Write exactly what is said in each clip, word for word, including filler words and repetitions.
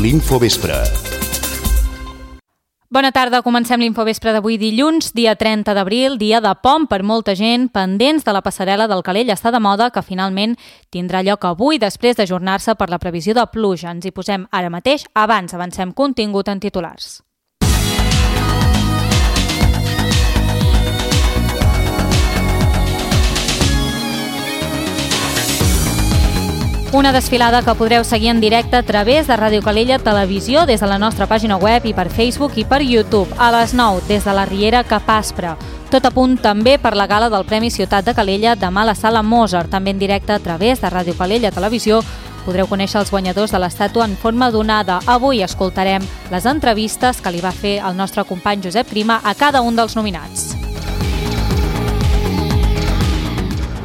l'Infovespre. Bona tarda, comencem l'Infovespre d'avui dilluns, dia trenta d'abril, dia de pont per molta gent, pendents de la passarel·la del Calella està de moda, que finalment tindrà lloc avui després d'ajornar-se per la previsió de pluja. Ens hi posem ara mateix, abans avancem contingut en titulars. Una desfilada que podreu seguir en directe a través de Ràdio Calella Televisió des de la nostra pàgina web i per Facebook i per YouTube a les nou des de la Riera cap Aspre. Tot a punt també per la gala del Premi Ciutat de Calella demà a la Sala Mozart, també en directe a través de Ràdio Calella Televisió. Podreu conèixer els guanyadors de l'estàtua en forma donada. Avui escoltarem les entrevistes que li va fer el nostre company Josep Prima a cada un dels nominats.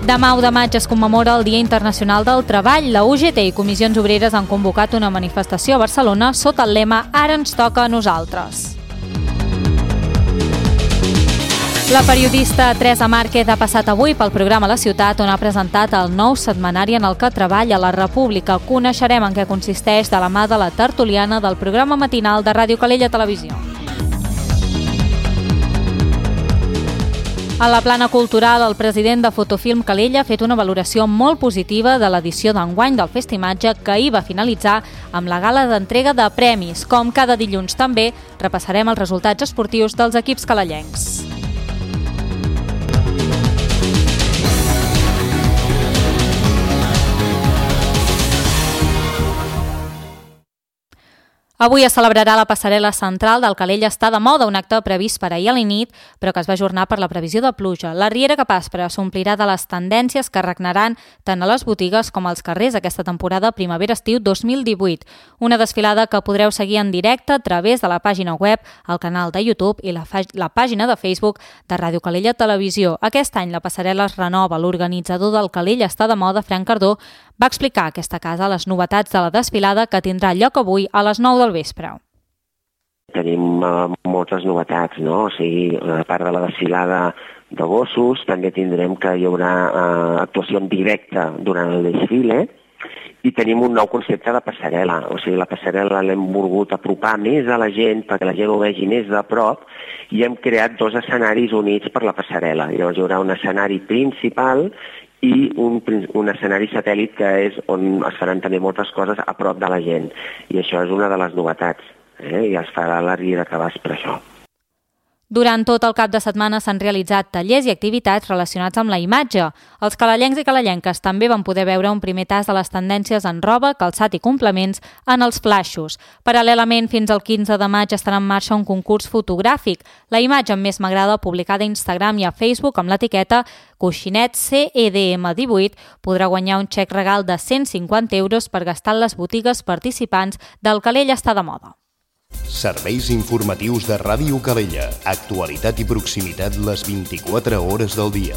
Demà u de maig es commemora el Dia Internacional del Treball. La U G T i Comissions Obreres han convocat una manifestació a Barcelona sota el lema Ara ens toca a nosaltres. La periodista Teresa Márquez ha passat avui pel programa La Ciutat, on ha presentat el nou setmanari en el que treballa la República. Coneixerem en què consisteix de la mà de la tertuliana del programa matinal de Ràdio Calella Televisió. A la plana cultural, el president de Fotofilm Calella ha fet una valoració molt positiva de l'edició d'enguany del Festimatge, que ahir va finalitzar amb la gala d'entrega de premis. Com cada dilluns també, repassarem els resultats esportius dels equips calellencs. Avui es celebrarà la passarel·la central del Calella està de moda, un acte previst per ahir a la nit, però que es va ajornar per la previsió de pluja. La Riera cap Aspre s'omplirà de les tendències que regnaran tant a les botigues com als carrers aquesta temporada primavera-estiu dos mil divuit. Una desfilada que podreu seguir en directe a través de la pàgina web, el canal de YouTube i la, la pàgina de Facebook de Ràdio Calella Televisió. Aquest any la passarel·la es renova. L'organitzador del Calella està de moda, Frank Cardó, va explicar a aquesta casa les novetats de la desfilada que tindrà lloc avui a les nou del vespre. Tenim uh, moltes novetats, no? O sigui, a part de la desfilada de gossos, també tindrem que hi haurà uh, actuació en directe durant el desfile i tenim un nou concepte de passarel·la. O sigui, la passarel·la l'hem volgut apropar més a la gent perquè la gent ho vegi més de prop i hem creat dos escenaris units per la passarel·la. Llavors hi haurà un escenari principal i un, un escenari satèl·lit que és on es faran també moltes coses a prop de la gent. I això és una de les novetats, eh? I es farà la Riera cap Aspre, això. Durant tot el cap de setmana s'han realitzat tallers i activitats relacionats amb la imatge. Els calellencs i calellenques també van poder veure un primer tas de les tendències en roba, calçat i complements en els flaixos. Paral·lelament, fins al quinze de maig estarà en marxa un concurs fotogràfic. La imatge amb més m'agrada, publicada a Instagram i a Facebook amb l'etiqueta Coixinet C E D M divuit, podrà guanyar un xec regal de cent cinquanta euros per gastar en les botigues participants del Calella està de moda. Serveis informatius de Ràdio Calella. Actualitat i proximitat les vint-i-quatre hores del dia.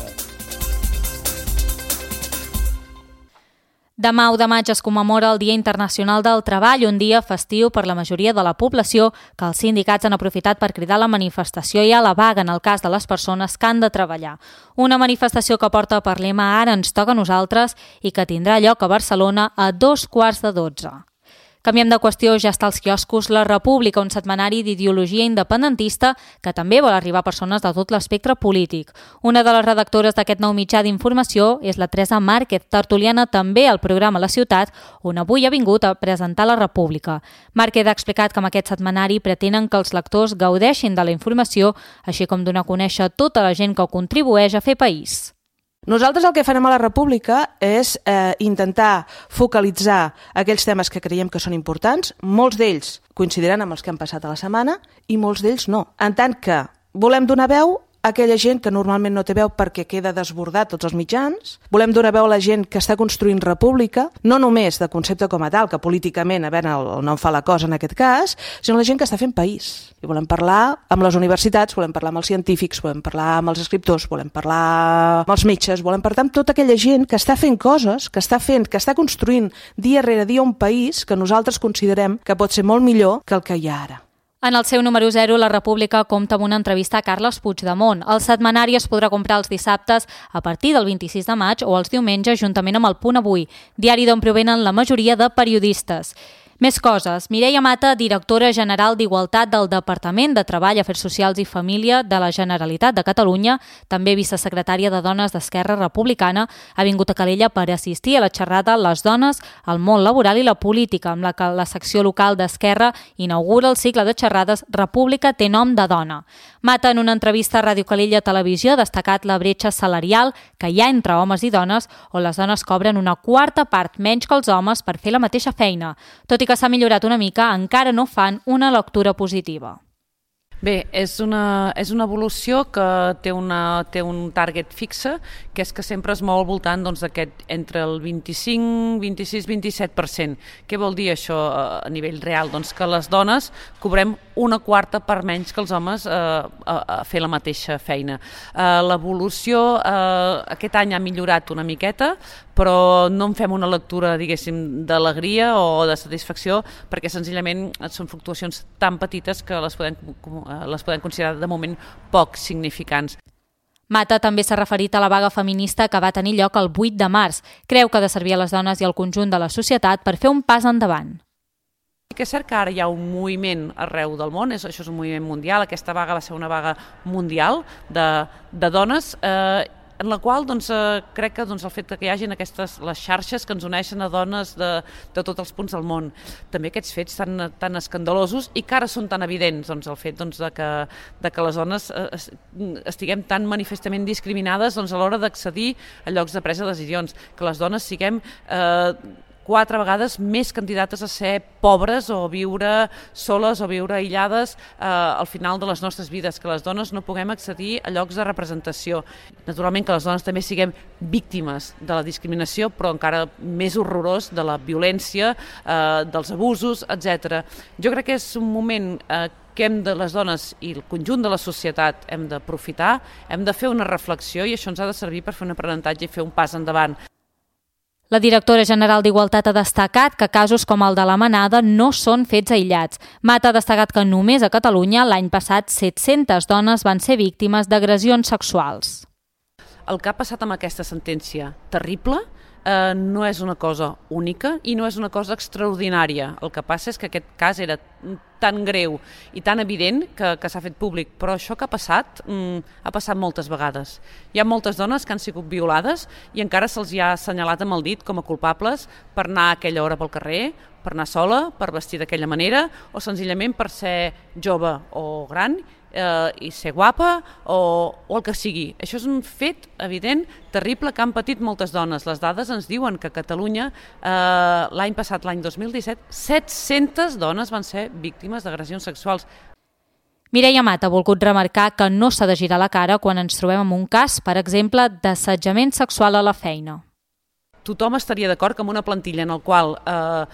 Demà u de maig es commemora el Dia Internacional del Treball, un dia festiu per la majoria de la població que els sindicats han aprofitat per cridar a la manifestació i a la vaga en el cas de les persones que han de treballar. Una manifestació que porta per lema Ara ens toca a nosaltres i que tindrà lloc a Barcelona a dos quarts de dotze. Canviem de qüestió, ja està als quioscos La República, un setmanari d'ideologia independentista que també vol arribar a persones de tot l'espectre polític. Una de les redactores d'aquest nou mitjà d'informació és la Teresa Márquez, tertuliana també al programa La Ciutat, on avui ha vingut a presentar La República. Márquez ha explicat que amb aquest setmanari pretenen que els lectors gaudeixin de la informació, així com donar a conèixer tota la gent que contribueix a fer país. Nosaltres el que farem a la República és eh, intentar focalitzar aquells temes que creiem que són importants. Molts d'ells coincidiran amb els que han passat a la setmana i molts d'ells no. En tant que volem donar veu aquella gent que normalment no té veu perquè queda desbordat tots els mitjans. Volem donar veu a la gent que està construint república, no només de concepte com a tal, que políticament, a veure, no en fa la cosa en aquest cas, sinó la gent que està fent país. I volem parlar amb les universitats, volem parlar amb els científics, volem parlar amb els escriptors, volem parlar amb els metges, volem parlar amb tota aquella gent que està fent coses, que està fent, que està construint dia rere dia un país que nosaltres considerem que pot ser molt millor que el que hi ha ara. En el seu número zero, La República compta amb una entrevista a Carles Puigdemont. El setmanari es podrà comprar els dissabtes a partir del vint-i-sis de maig o els diumenges juntament amb el Punt Avui, diari d'on provenen la majoria de periodistes. Més coses. Mireia Mata, directora general d'Igualtat del Departament de Treball, Afers Socials i Família de la Generalitat de Catalunya, també vicesecretària de Dones d'Esquerra Republicana, ha vingut a Calella per assistir a la xerrada Les dones, el món laboral i la política, amb la que la secció local d'Esquerra inaugura el cicle de xerrades República té nom de dona. Mata, en una entrevista a Ràdio Calella Televisió, ha destacat la bretxa salarial que hi ha entre homes i dones, on les dones cobren una quarta part menys que els homes per fer la mateixa feina. Tot i que s'ha millorat una mica, encara no fan una lectura positiva. Bé, és una, és una evolució que té, una, té un target fixe, que és que sempre es mou al voltant doncs, d'aquest entre el vint-i-cinc, vint-i-sis, vint-i-set per cent. Què vol dir això a nivell real? Doncs que les dones cobrem una quarta part menys que els homes eh, a, a fer la mateixa feina. Eh, l'evolució eh, aquest any ha millorat una miqueta, però no en fem una lectura, diguéssim, d'alegria o de satisfacció, perquè senzillament són fluctuacions tan petites que les podem, les podem considerar de moment poc significants. Mata també s'ha referit a la vaga feminista que va tenir lloc el vuit de març. Creu que ha de servir a les dones i al conjunt de la societat per fer un pas endavant. Que és cert que ara hi ha un moviment arreu del món, és, això és un moviment mundial, aquesta vaga va ser una vaga mundial de, de dones, eh, en la qual doncs, eh, crec que doncs, el fet que hi hagin aquestes, les xarxes que ens uneixen a dones de, de tots els punts del món, també aquests fets tan, tan escandalosos i que ara són tan evidents, doncs, el fet doncs, de, que, de que les dones eh, estiguem tan manifestament discriminades doncs, a l'hora d'accedir a llocs de presa de decisions, que les dones siguem eh, quatre vegades més candidates a ser pobres o viure soles o viure aïllades eh, al final de les nostres vides, que les dones no puguem accedir a llocs de representació. Naturalment que les dones també siguem víctimes de la discriminació, però encara més horrorós de la violència, eh, dels abusos, etcètera. Jo crec que és un moment eh, que hem de, les dones i el conjunt de la societat hem d'aprofitar, hem de fer una reflexió i això ens ha de servir per fer un aprenentatge i fer un pas endavant. La directora general d'Igualtat ha destacat que casos com el de la Manada no són fets aïllats. Mata ha destacat que només a Catalunya l'any passat set-centes dones van ser víctimes d'agressions sexuals. El que ha passat amb aquesta sentència terrible eh, no és una cosa única i no és una cosa extraordinària. El que passa és que aquest cas era tan greu i tan evident que, que s'ha fet públic, però això que ha passat mm, ha passat moltes vegades. Hi ha moltes dones que han sigut violades i encara se'ls ha assenyalat amb el dit com a culpables per anar a aquella hora pel carrer, per anar sola, per vestir d'aquella manera o senzillament per ser jove o gran eh, i ser guapa o, o el que sigui. Això és un fet evident, terrible, que han patit moltes dones. Les dades ens diuen que a Catalunya eh, l'any passat, l'any dos mil disset, set-centes dones van ser víctimes d'agressions sexuals. Mireia Mata ha volgut remarcar que no s'ha de girar la cara quan ens trobem en un cas, per exemple, d'assetjament sexual a la feina. Tothom estaria d'acord que amb una plantilla en la qual eh,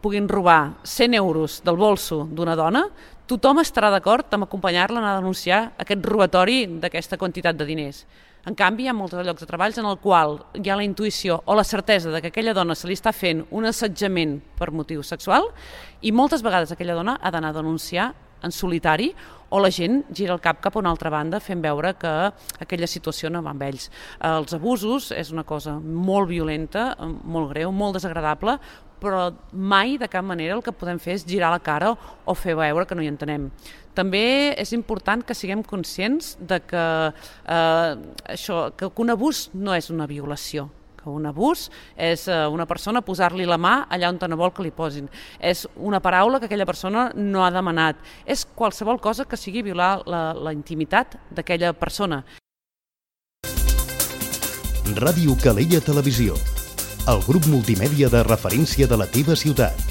puguin robar cent euros del bolso d'una dona, tothom estarà d'acord amb acompanyar-la a anar a denunciar aquest robatori d'aquesta quantitat de diners. En canvi, hi ha molts llocs de treball en el qual hi ha la intuïció o la certesa de que aquella dona se li està fent un assetjament per motiu sexual i moltes vegades aquella dona ha d'anar a denunciar en solitari o la gent gira el cap cap a una altra banda fent veure que aquella situació no va amb ells. Els abusos és una cosa molt violenta, molt greu, molt desagradable, però mai de cap manera el que podem fer és girar la cara o fer veure que no hi entenem. També és important que siguem conscients de que, eh, això, que un abús no és una violació, que un abús és una persona posar-li la mà allà on no vol que li posin. És una paraula que aquella persona no ha demanat. És qualsevol cosa que sigui violar la, la intimitat d'aquella persona. Ràdio Calella Televisió, el grup multimèdia de referència de la teva ciutat.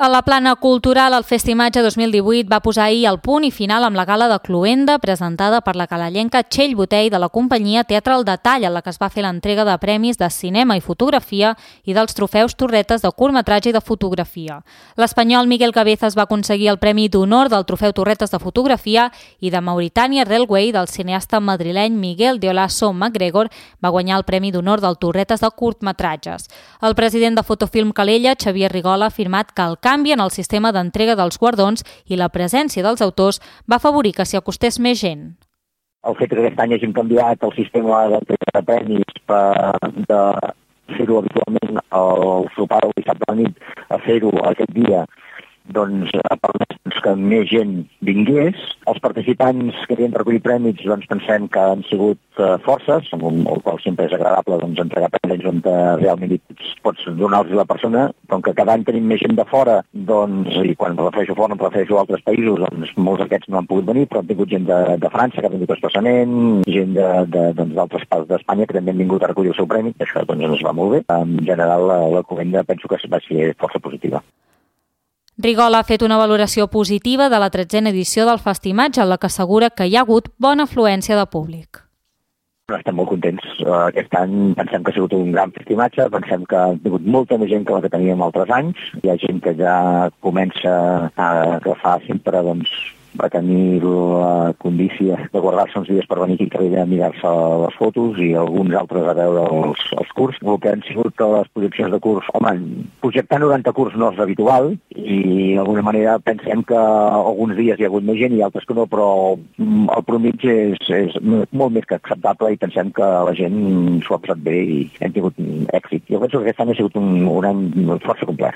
A la plana cultural, el Festimatge dos mil divuit va posar ahir el punt i final amb la gala de Cluenda, presentada per la calellenca Txell Botell de la companyia Teatre al Detall, en la que es va fer l'entrega de premis de cinema i fotografia i dels trofeus Torretes de curtmetratge i de fotografia. L'espanyol Miguel Cabezas va aconseguir el Premi d'Honor del trofeu Torretes de fotografia i de Mauritania Railway del cineasta madrileny Miguel de Olaso MacGregor va guanyar el Premi d'Honor del Torretes de curtmetratges. El president de Fotofilm Calella, Xavier Rigola, ha afirmat que el canvi en el sistema d'entrega dels guardons i la presència dels autors va afavorir que s'hi acostés més gent. El fet que aquest any hagin canviat el sistema d'entrega de premis per, de fer-ho habitualment el sopar o dissabte a la nit, a fer-ho aquest dia, doncs ha permès que més gent vingués. Els participants que havien recollit premis doncs pensem que han sigut uh, forces, amb un, el qual sempre és agradable doncs, entregar premis on uh, realment pots, pots donar-los a la persona, com que cada any tenim més gent de fora, doncs, i quan em refereixo fora em refereixo a altres països, doncs molts d'aquests no han pogut venir, però han tingut gent de, de França que ha vingut expressament, gent d'altres doncs, d'altres parts d'Espanya que també han vingut a recollir el seu premi, això doncs, ens va molt bé. En general la, la comenda penso que va ser força positiva. Rigol ha fet una valoració positiva de la tretzena edició del Festimatge, en la que assegura que hi ha hagut bona afluència de públic. Estem molt contents. Aquest any pensem que ha sigut un gran festimatge, pensem que ha tingut molta més gent que la que teníem altres anys. Hi ha gent que ja comença a agafar sempre doncs, va tenir la condícia de guardar-se uns dies per venir aquí a mirar-se les fotos i alguns altres a veure els, els curs. El que han sigut les projeccions de curs, home, projectar noranta curs no és habitual i d'alguna manera pensem que alguns dies hi ha hagut més gent i altres que no, però el promig és, és molt més que acceptable i pensem que la gent s'ho ha passat bé i hem tingut èxit. Jo penso que aquest any ha sigut un, un any força complet.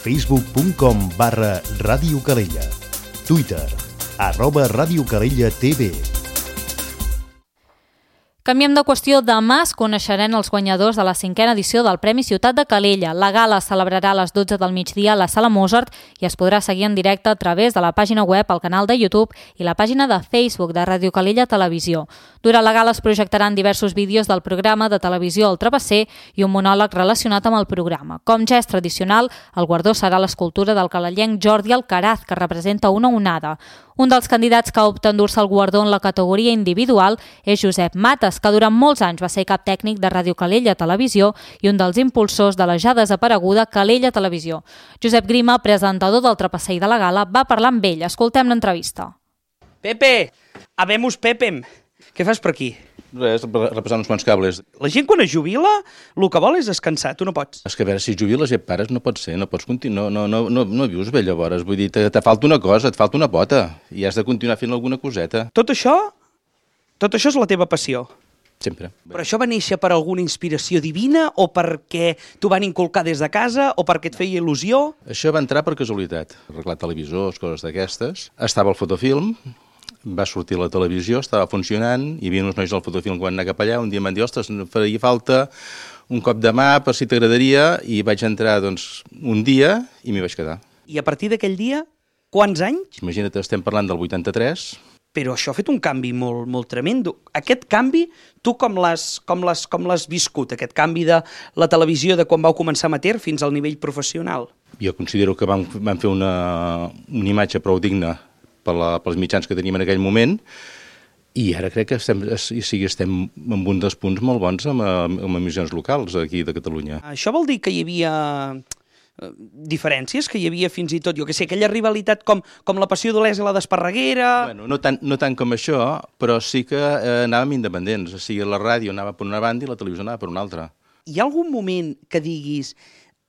facebook punt com barra Ràdio Calella. Twitter, arroba Ràdio Calella T V. Canviem de qüestió. Demà es coneixeran els guanyadors de la cinquena edició del Premi Ciutat de Calella. La gala es celebrarà a les dotze del migdia a la Sala Mozart i es podrà seguir en directe a través de la pàgina web, el canal de YouTube i la pàgina de Facebook de Ràdio Calella Televisió. Durant la gala es projectaran diversos vídeos del programa de televisió El Travesser i un monòleg relacionat amb el programa. Com ja és tradicional, el guardó serà l'escultura del calellenc Jordi Alcaraz, que representa una onada. Un dels candidats que opta a endur-se el guardó en la categoria individual és Josep Mates, que durant molts anys va ser cap tècnic de Ràdio Calella Televisió i un dels impulsors de la ja desapareguda Calella Televisió. Josep Grima, presentador del Trapasser i de la gala, va parlar amb ell. Escoltem l'entrevista. Pepe, habemus Pepem. Què fas per aquí? Res, repassant uns quants cables. La gent quan es jubila, el que vol és descansar, tu no pots. És que a veure, si jubiles i et pares no pot ser, no pots continuar, no, no, no, no vius bé llavors, vull dir, te, te falta una cosa, et falta una pota, i has de continuar fent alguna coseta. Tot això, tot això és la teva passió. Sempre. Però això va néixer per alguna inspiració divina o perquè t'ho van inculcar des de casa o perquè et feia il·lusió? Això va entrar per casualitat, arreglar televisors, coses d'aquestes. Estava al fotofilm, va sortir a la televisió, estava funcionant, hi havia uns nois al fotofilm que van anar cap allà, un dia em van dir, ostres, faria falta un cop de mà per si t'agradaria, i vaig entrar doncs, un dia i m'hi vaig quedar. I a partir d'aquell dia, quants anys? Imagina't, estem parlant del vuitanta-tres. Però això ha fet un canvi molt, molt tremendo. Aquest canvi, tu com l'has com l'has com l'has viscut, aquest canvi de la televisió de quan vau començar amateur fins al nivell professional? Jo considero que vam, vam fer una, una imatge prou digna per la, pels mitjans que teníem en aquell moment, i ara crec que estem, sí, estem en un dels punts molt bons amb, amb emissions locals aquí de Catalunya. Això vol dir que hi havia diferències, que hi havia fins i tot, jo que sé, aquella rivalitat com, com la Passió d'Olesa i la d'Esparreguera... Bueno, no tant, no tant com això, però sí que eh, anàvem independents, o sigui, la ràdio anava per una banda i la televisió anava per una altra. Hi ha algun moment que diguis...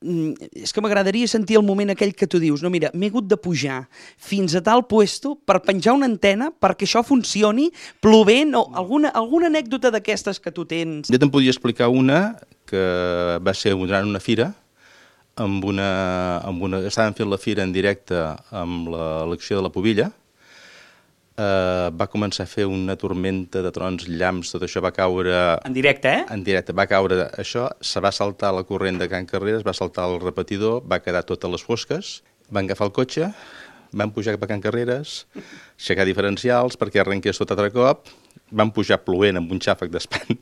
És que m'agradaria sentir el moment aquell que tu dius, no, mira, m'he hagut de pujar fins a tal puesto per penjar una antena perquè això funcioni, plovent, o alguna, alguna anècdota d'aquestes que tu tens. Jo te'n podia explicar una que va ser durant una fira, amb una, amb una, estàvem fent la fira en directe amb l'elecció de la Pobilla. Uh, va començar a fer una tormenta de trons, llamps, tot això va caure... En directe, eh? En directe, va caure això, se va saltar la corrent de Can Carreres, va saltar el repetidor, va quedar totes les fosques, van agafar el cotxe, van pujar cap a Can Carreres, aixecar diferencials perquè arrenqués tot altre cop, van pujar plovent amb un xàfec d'espant.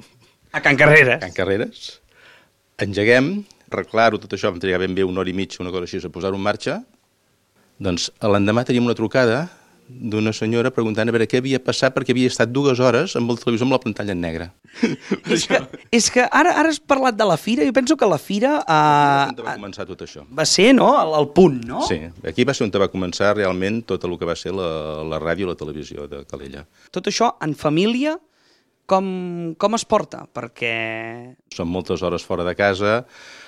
A Can Carreres? A Can Carreres. Engeguem, reclaro tot això, vam trigar ben bé una hora i mitja, una cosa així, a posar-ho en marxa. Doncs l'endemà teníem una trucada d'una senyora preguntant a veure què havia passat perquè havia estat dues hores amb el televisor amb la pantalla en negre. És que, és que ara, ara has parlat de la fira, jo penso que la fira... Uh, on va començar tot això. Va ser, no?, el, el punt, no? Sí, aquí va ser on va començar realment tot el que va ser la, la ràdio i la televisió de Calella. Tot això en família, com, com es porta? Perquè... Són moltes hores fora de casa,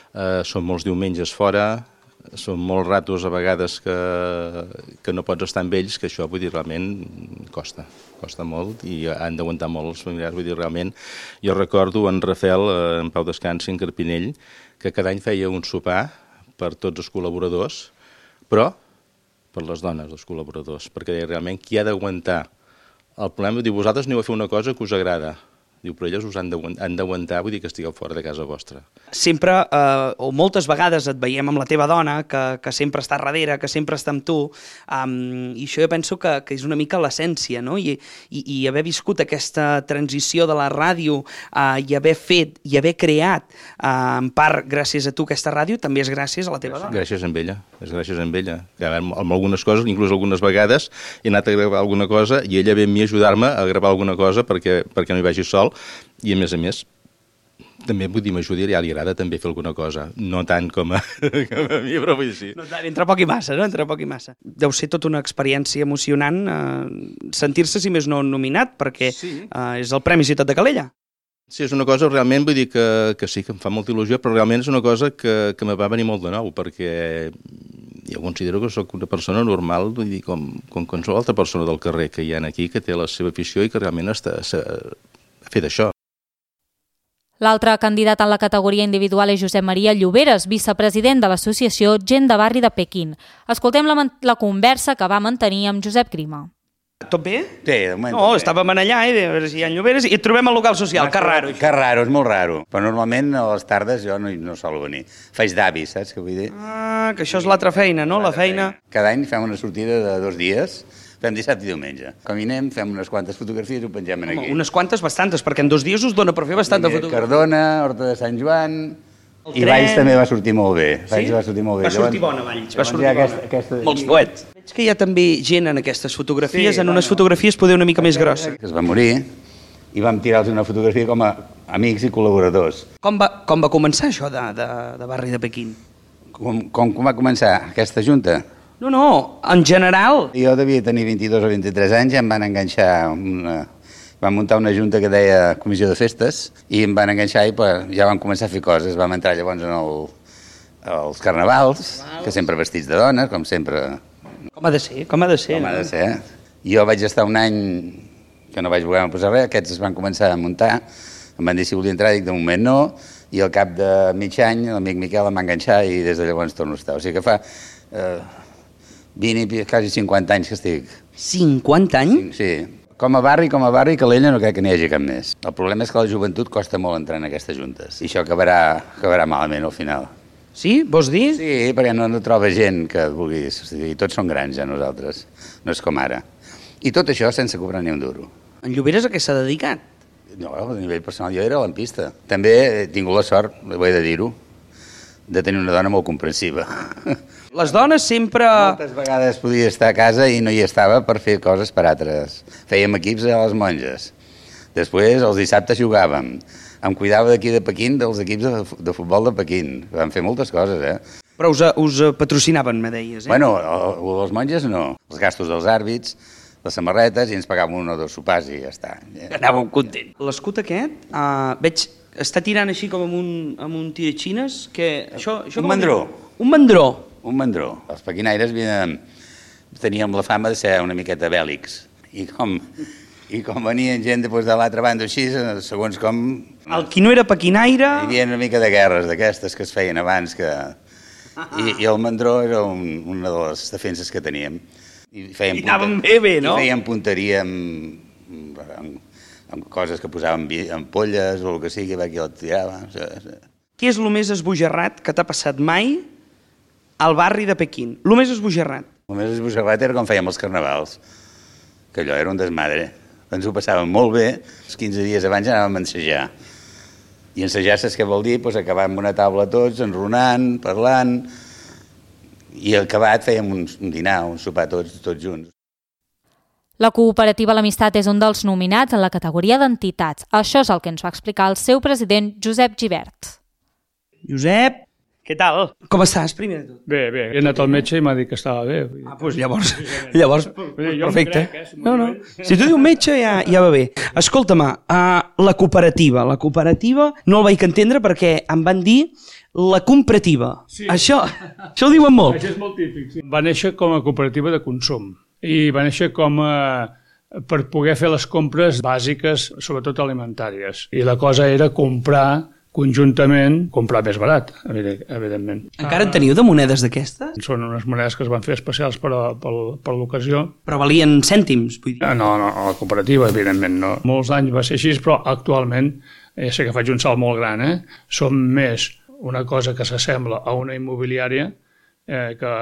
eh, són molts diumenges fora, són molt ratos a vegades que, que no pots estar amb ells, que això, vull dir, realment costa, costa molt i han d'aguantar molt els familiars, vull dir, realment. Jo recordo en Rafael, en Pau Descansi, en Carpinell, que cada any feia un sopar per tots els col·laboradors, però per les dones, els col·laboradors, perquè realment qui ha d'aguantar el problema, diu, vosaltres aneu a fer una cosa que us agrada, diu, però elles us han d'aguantar, vull dir que estigueu fora de casa vostra. Sempre, eh, o moltes vegades et veiem amb la teva dona, que, que sempre està darrere, que sempre està amb tu, um, i això jo penso que, que és una mica l'essència, no? I, i, i haver viscut aquesta transició de la ràdio uh, i haver fet i haver creat, uh, en part gràcies a tu aquesta ràdio, també és gràcies a la teva dona. Gràcies a ella, és gràcies a ella. Que amb, amb algunes coses, inclús algunes vegades, he anat a gravar alguna cosa i ella ve a mi a ajudar-me a gravar alguna cosa perquè, perquè no hi vagi sol. I a més a més, també vull dir, m'ajudi, ja li agrada també fer alguna cosa. No tant com a, com a mi, però vull dir sí. No, entre poc i massa, no? Entre poc i massa. Deu ser tota una experiència emocionant eh, sentir-se, si més no, nominat, perquè sí. eh, és el Premi Ciutat de Calella. Sí, és una cosa realment, vull dir que, que sí, que em fa molta il·lusió, però realment és una cosa que, que me va venir molt de nou, perquè jo considero que sóc una persona normal, vull dir, com, com qualsevol altra persona del carrer que hi ha aquí, que té la seva afició i que realment està a fer d'això. L'altre candidat en la categoria individual és Josep Maria Lloberes, vicepresident de l'associació Gent de Barri de Pequín. Escoltem la, la conversa que va mantenir amb Josep Grima. Tot bé? Sí, de moment. No, estàvem allà, eh, a veure si hi ha Lloberes, i et trobem al local social, que raro. Que raro, és molt raro. Però normalment a les tardes jo no, no sol venir. Faig d'avi, saps què vull dir? Ah, que això és l'altra feina, no? La feina... Cada any fem una sortida de dos dies, fem dissabte i diumenge. Caminem, fem unes quantes fotografies i ho pengem aquí. Home, unes quantes, bastantes, perquè en dos dies us dona per fer bastanta fotografia. Cardona, Horta de Sant Joan... I Valls també va sortir molt bé. Valls sí? va sortir molt bé. Va sortir bona, Valls. Va sortir aquesta, bona. Aquesta... Molts poets. Veig que hi ha també gent en aquestes fotografies, sí, en unes fotografies poder una mica més grosses. Que es va morir i vam tirar-los una fotografia com a amics i col·laboradors. Com va, com va començar això de, de, de Barri de Pequín? Com, com, com va començar aquesta junta? No, no, en general. Jo devia tenir vint-i-dos o vint-i-tres anys i em van enganxar una... Vam muntar una junta que deia Comissió de Festes i em van enganxar i ja vam començar a fer coses. Vam entrar llavors en el, els carnavals, que sempre vestits de dones, com sempre. Com ha de ser, com ha de ser. Com ha de ser. Jo vaig estar un any que no vaig voler posar res, aquests es van començar a muntar, em van dir si volia entrar, dic de moment no, i al cap de mig any l'amic Miquel em va enganxar i des de llavors torno a estar. O sigui que fa eh, vint i quasi cinquanta anys que estic. cinquanta anys? Sí. Com a barri, com a barri, Calella no crec que n'hi hagi cap més. El problema és que la joventut costa molt entrar en aquestes juntes. I això acabarà, acabarà malament al final. Sí? Vols dir? Sí, perquè no, no troba gent que vulgui... O sigui, tots són grans ja nosaltres. No és com ara. I tot això sense cobrar ni un duro. En Lloberes a què s'ha dedicat? No, a nivell personal jo era lampista. També he tingut la sort, ho he de dir-ho, de tenir una dona molt comprensiva. Les dones sempre... Moltes vegades podia estar a casa i no hi estava per fer coses per altres. Fèiem equips a les monges. Després, els dissabtes jugàvem. Em cuidava d'aquí de Pequín, dels equips de, de futbol de Pequín. Vam fer moltes coses, eh? Però us, us patrocinaven, me deies, eh? Bueno, les monges no. Els gastos dels àrbits, les samarretes, i ens pagaven un o dos sopars i ja està. Anàvem content. L'escut aquest, uh, veig, està tirant així com amb un, amb un tiratxines, que... Això, això un mandró. Un mandró. Un mandró. Els pequinaires havien, teníem la fama de ser una miqueta bèl·lics. I com, i com venien gent després de l'altra banda així, segons com... El qui no era pequinaire... Hi havia una mica de guerres d'aquestes que es feien abans, que... I, i el mandró era un, una de les defenses que teníem. I, I anàvem bé, bé, no? I fèiem punteria amb, amb, amb coses que posaven ampolles o el que sigui, que el tirava. Què és el més esbojarrat que t'ha passat mai al barri de Pequín? El més esbojarrat. El més esbojarrat era com fèiem els carnavals, que allò era un desmadre. Ens ho passàvem molt bé, els quinze dies abans anàvem a ensejar. I ensejar, saps què vol dir? Pues acabar amb una taula tots, enronant, parlant, i al acabat fèiem un, un dinar, un sopar tots, tots junts. La cooperativa L'Amistat és un dels nominats en la categoria d'entitats. Això és el que ens va explicar el seu president, Josep Gibert. Josep, Què tal? Com estàs, primer de tot? Bé, bé. He anat al metge i m'ha dit que estava bé. Ah, doncs llavors, llavors perfecte. No, no. Si tu dius metge ja, ja va bé. Escolta-me, uh, la cooperativa. La cooperativa no el vaig entendre perquè em van dir la comprativa. Sí. Això, això ho diuen molt. Això és molt típic, sí. Va néixer com a cooperativa de consum i va néixer com a per poder fer les compres bàsiques, sobretot alimentàries. I la cosa era comprar conjuntament, comprar més barat, evidentment. Encara en teniu de monedes d'aquestes? Són unes monedes que es van fer especials per, a, per, per l'ocasió. Però valien cèntims, vull dir? No, no, a la cooperativa, evidentment, no. Molts anys va ser així, però actualment, ja sé que faig un salt molt gran, eh? Som més una cosa que s'assembla a una immobiliària eh, que,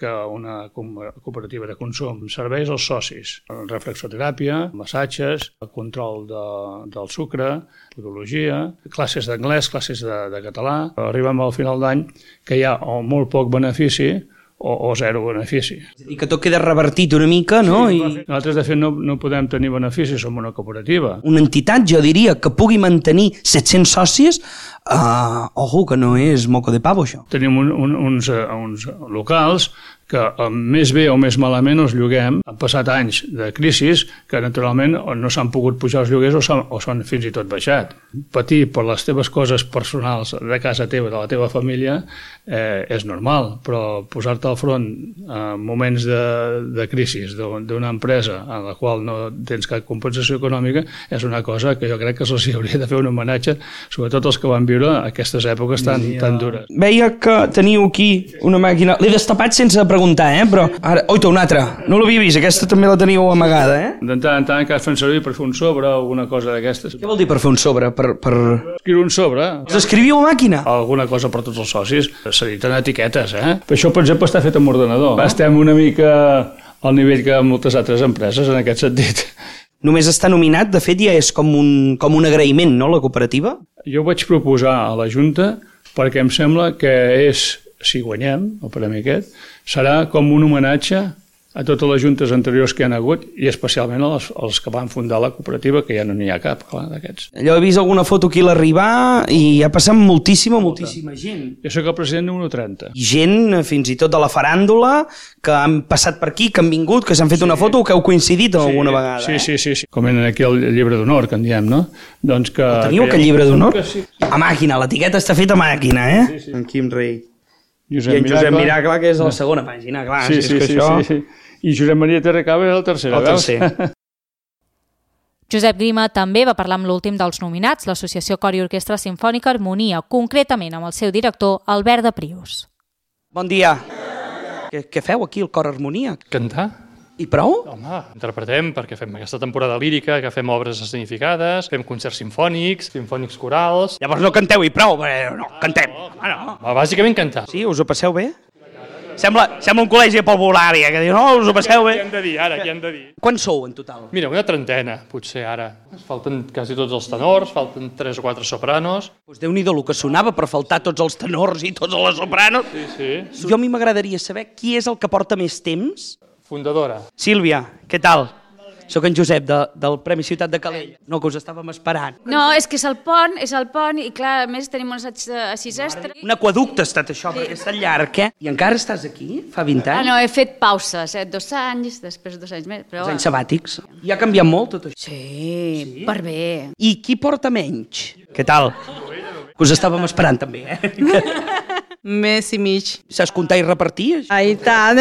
que una cooperativa de consum. Serveis als socis, reflexoteràpia, massatges, control de, del sucre, podologia, classes d'anglès, classes de, de català. Arribem al final d'any que hi ha o molt poc benefici o, o zero benefici. I que tot queda revertit una mica, no? Sí, I... Nosaltres, de fet, no, no podem tenir beneficis, som una cooperativa. Una entitat, jo diria, que pugui mantenir set-cents socis, uh, ojo, que no és moco de pavo, això. Tenim un, un, uns, uns locals que més bé o més malament els lloguem. Han passat anys de crisis que naturalment no s'han pogut pujar els lloguers o s'han, o s'han fins i tot baixat. Patir per les teves coses personals de casa teva, de la teva família, eh, és normal, però posar-te al front en moments de, de crisis d'una empresa en la qual no tens cap compensació econòmica és una cosa que jo crec que se'ls hauria de fer un homenatge, sobretot els que van viure aquestes èpoques tan, tan dures. Veia que teniu aquí una màquina, l'he destapat sense preguntar, eh? Però ara, oita, una altra, no l'havia vist, aquesta també la teníeu amagada, eh? De tant en tant que es fan servir per fer un sobre o alguna cosa d'aquestes. Què vol dir per fer un sobre? Per, per... Escriure un sobre. Els escriviu a màquina? Alguna cosa per tots els socis. S'editen etiquetes, eh? Per això, per exemple, està fet amb ordenador. Estem una mica al nivell que moltes altres empreses, en aquest sentit. Només està nominat, de fet ja és com un, com un agraïment, no, la cooperativa? Jo vaig proposar a la Junta perquè em sembla que és, si guanyem el premi aquest, serà com un homenatge a totes les juntes anteriors que hi ha hagut i especialment als, als que van fundar la cooperativa, que ja no n'hi ha cap, clar, d'aquests. Allò he vist alguna foto aquí a l'arribar i ha passat moltíssima, moltíssima gent. Jo soc el president número trenta. I gent, fins i tot de la faràndula, que han passat per aquí, que han vingut, que s'han fet sí. una foto o que heu coincidit sí, alguna vegada. Sí, eh? sí, sí, sí. Com en aquí el llibre d'honor, que en diem, no? Doncs que... El teniu, que aquest llibre d'honor? Sí. A màquina, l'etiqueta està feta a màquina, eh? Sí, sí. En Quim Rei. Josep I en Josep Miracle, Miracle, que és a la segona pàgina, clar. Sí, sí, sí, això... sí, sí. I Josep Maria Terracaba és el tercer, el tercer. Josep Grima també va parlar amb l'últim dels nominats, l'Associació Cor i Orquestra Simfònica Harmonia, concretament amb el seu director, Albert de Prius. Bon dia. Què, què feu aquí, el Cor Harmonia? Cantar. I prou? Home, interpretem perquè fem aquesta temporada lírica, que fem obres escenificades, fem concerts simfònics, simfònics corals... Llavors no canteu i prou, però no, cantem. Ah, no. Bàsicament cantar. Sí, us ho passeu bé? Sembla, sembla un col·legi parvulària, que diu, no, us ho passeu bé. Què hem de dir ara, què hem de dir? Quants sou en total? Mira, una trentena, potser ara. Falten quasi tots els tenors, falten tres o quatre sopranos. Doncs Déu-n'hi-do el que sonava per faltar tots els tenors i tots les sopranos. Sí, sí. Jo a mi m'agradaria saber qui és el que porta més temps. Fundadora. Sílvia, què tal? Soc en Josep, de, del Premi Ciutat de Calella. No, que us estàvem esperant. No, és que és el pont, és el pont, i clar, a més tenim un assaig a sis estres. Un aquaducte ha estat això, sí. Perquè està llarg, eh? I encara estàs aquí? Fa vint anys? Ah, no, he fet pauses, eh? Dos anys, després dos anys més. Però... Dos anys sabàtics. I ha canviat molt tot això? Sí, sí, per bé. I qui porta menys? Què tal? Que us estàvem esperant també, eh? Mes i mig. Saps comptar i repartir? Ah, i tant.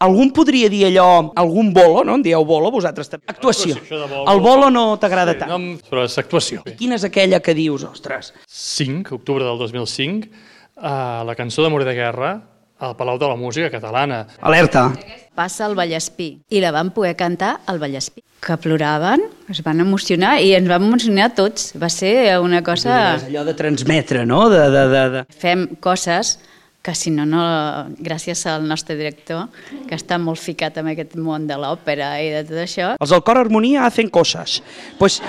Algun podria dir allò, algun bolo, no? En dieu bolo, vosaltres també. Actuació. El bolo no t'agrada tant. No, però és actuació. I quina és aquella que dius, ostres? cinc, octubre del dos mil cinc, uh, la cançó d'Amor de Guerra, al Palau de la Música Catalana. Alerta. Passa al Vallespí, i la van poder cantar al Vallespí. Que ploraven, es van emocionar, i ens van emocionar tots. Va ser una cosa... És allò de transmetre, no? De, de, de, de... Fem coses que si no, no, gràcies al nostre director, que està molt ficat en aquest món de l'òpera i de tot això. Els del Cor Harmonia hacen coses. Pues...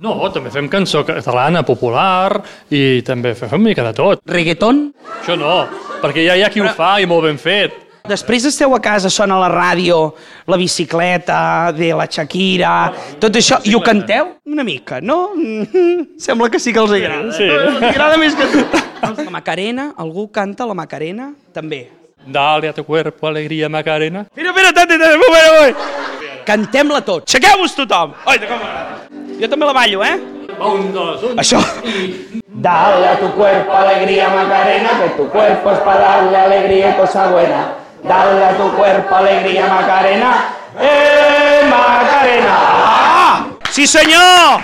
No, també fem cançó catalana, popular, i també fem una mica de tot. Reggaeton? Això no, perquè ja hi ha qui ho fa i molt ben fet. Després esteu a casa, sona la ràdio, la bicicleta, de la Shakira, tot això, i ho canteu una mica, no? Sembla que sí que els agrada. Sí. Els agrada més que tu. La Macarena, algú canta la Macarena? També. Dale a tu cuerpo alegría Macarena. Mira, mira, tante, tante, un moment, un moment. Cantem-la tot. Aixequeu-vos tothom. Oi, com m'agrada. Jo també la ballo, eh? Un, dos, un. Això. Dale a tu cuerpo alegría Macarena, que tu cuerpo es para darle alegría y cosa buena. Dale a tu cuerpo alegría Macarena. ¡Eh, Macarena! Ah! Sí, senyor!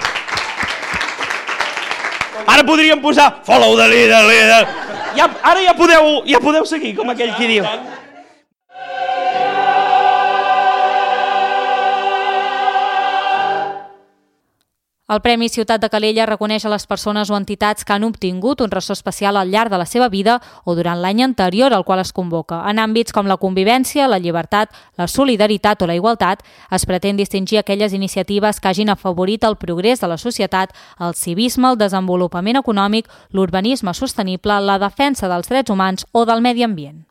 Ara podríem posar follow the leader, leader. Ja, ara ja podeu, ja podeu seguir, com aquell qui diu. El Premi Ciutat de Calella reconeix a les persones o entitats que han obtingut un ressò especial al llarg de la seva vida o durant l'any anterior al qual es convoca. En àmbits com la convivència, la llibertat, la solidaritat o la igualtat, es pretén distingir aquelles iniciatives que hagin afavorit el progrés de la societat, el civisme, el desenvolupament econòmic, l'urbanisme sostenible, la defensa dels drets humans o del medi ambient.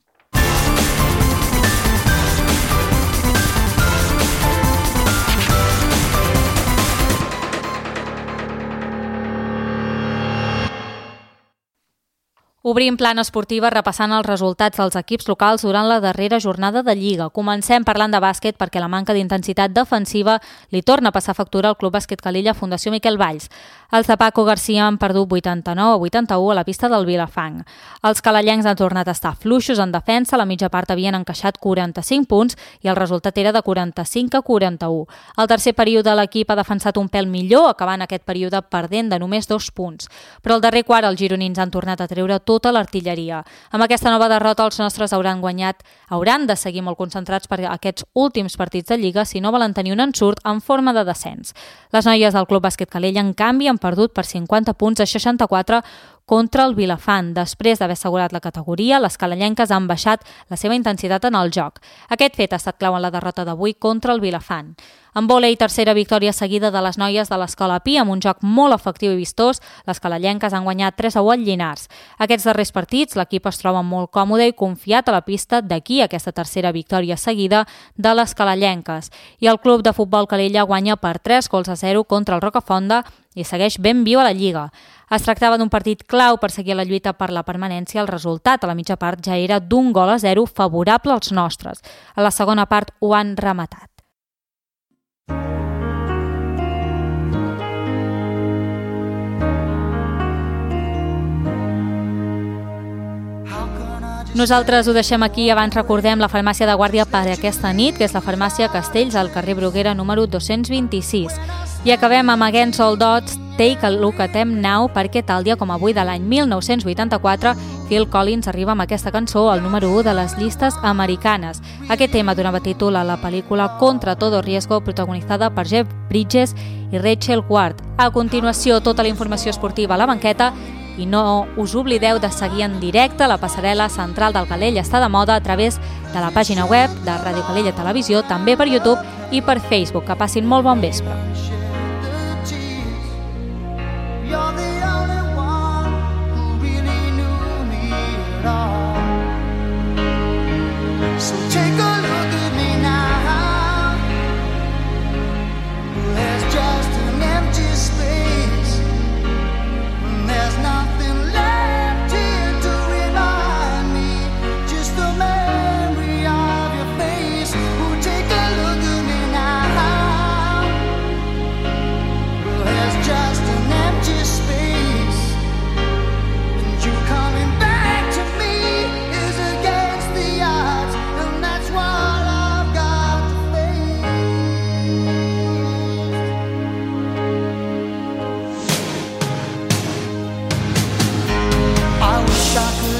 Obrim plana esportiva repassant els resultats dels equips locals durant la darrera jornada de Lliga. Comencem parlant de bàsquet perquè la manca d'intensitat defensiva li torna a passar factura al Club Bàsquet Calella Fundació Miquel Valls. Els de Paco Garcia han perdut vuitanta-nou a vuitanta-u a la pista del Vilafang. Els calellencs han tornat a estar fluixos en defensa, a la mitja part havien encaixat quaranta-cinc punts i el resultat era de quaranta-cinc a quaranta-u. Al tercer període l'equip ha defensat un pèl millor, acabant aquest període perdent de només dos punts. Però al darrer quart els gironins han tornat a treure tota l'artilleria. Amb aquesta nova derrota els nostres hauran guanyat, hauran de seguir molt concentrats per aquests últims partits de Lliga si no volen tenir un ensurt en forma de descens. Les noies del Club Bàsquet Calella, en canvi, han perdut per cinquanta punts a seixanta-quatre contra el Vilafant. Després d'haver assegurat la categoria, les calellenques han baixat la seva intensitat en el joc. Aquest fet ha estat clau en la derrota d'avui contra el Vilafant. En vòlei, tercera victòria seguida de les noies de l'Escola Pi amb un joc molt efectiu i vistós. Les calellenques han guanyat tres a u al Llinars. Aquests darrers partits, l'equip es troba molt còmode i confiat a la pista d'aquí aquesta tercera victòria seguida de les calellenques. I el club de futbol Calella guanya per tres gols a zero contra el Rocafonda i segueix ben viu a la Lliga. Es tractava d'un partit clau per seguir la lluita per la permanència. El resultat a la mitja part ja era d'un gol a zero favorable als nostres. A la segona part ho han rematat. Nosaltres ho deixem aquí. Abans recordem la farmàcia de guàrdia per aquesta nit, que és la farmàcia Castells, al carrer Bruguera número dos-cents vint-i-sis. I acabem amb Against All Odds, Take a Look at Them Now, perquè tal dia com avui de l'any mil nou-cents vuitanta-quatre, Phil Collins arriba amb aquesta cançó al número u de les llistes americanes. Aquest tema donava títol a la pel·lícula Contra todo riesgo, protagonitzada per Jeff Bridges i Rachel Ward. A continuació, tota la informació esportiva a la banqueta. I no us oblideu de seguir en directe la passarel·la central del Calella està de moda a través de la pàgina web de Ràdio Calella Televisió, també per YouTube i per Facebook. Que passin molt bon vespre.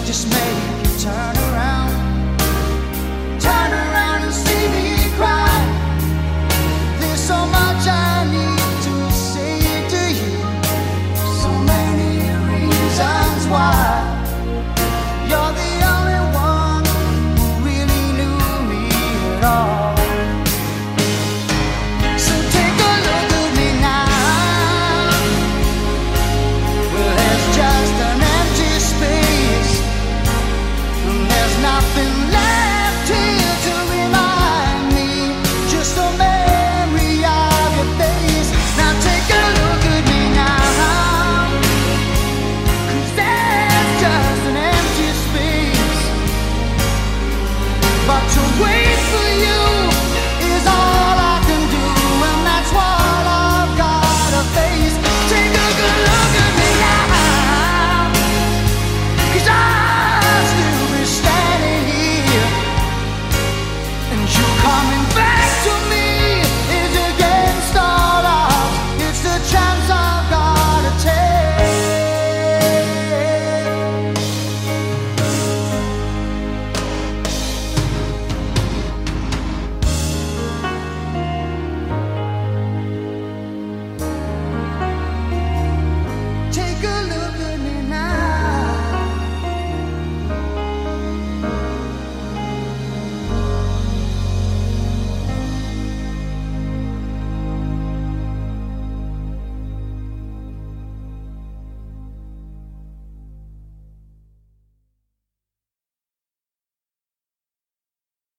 Just make you turn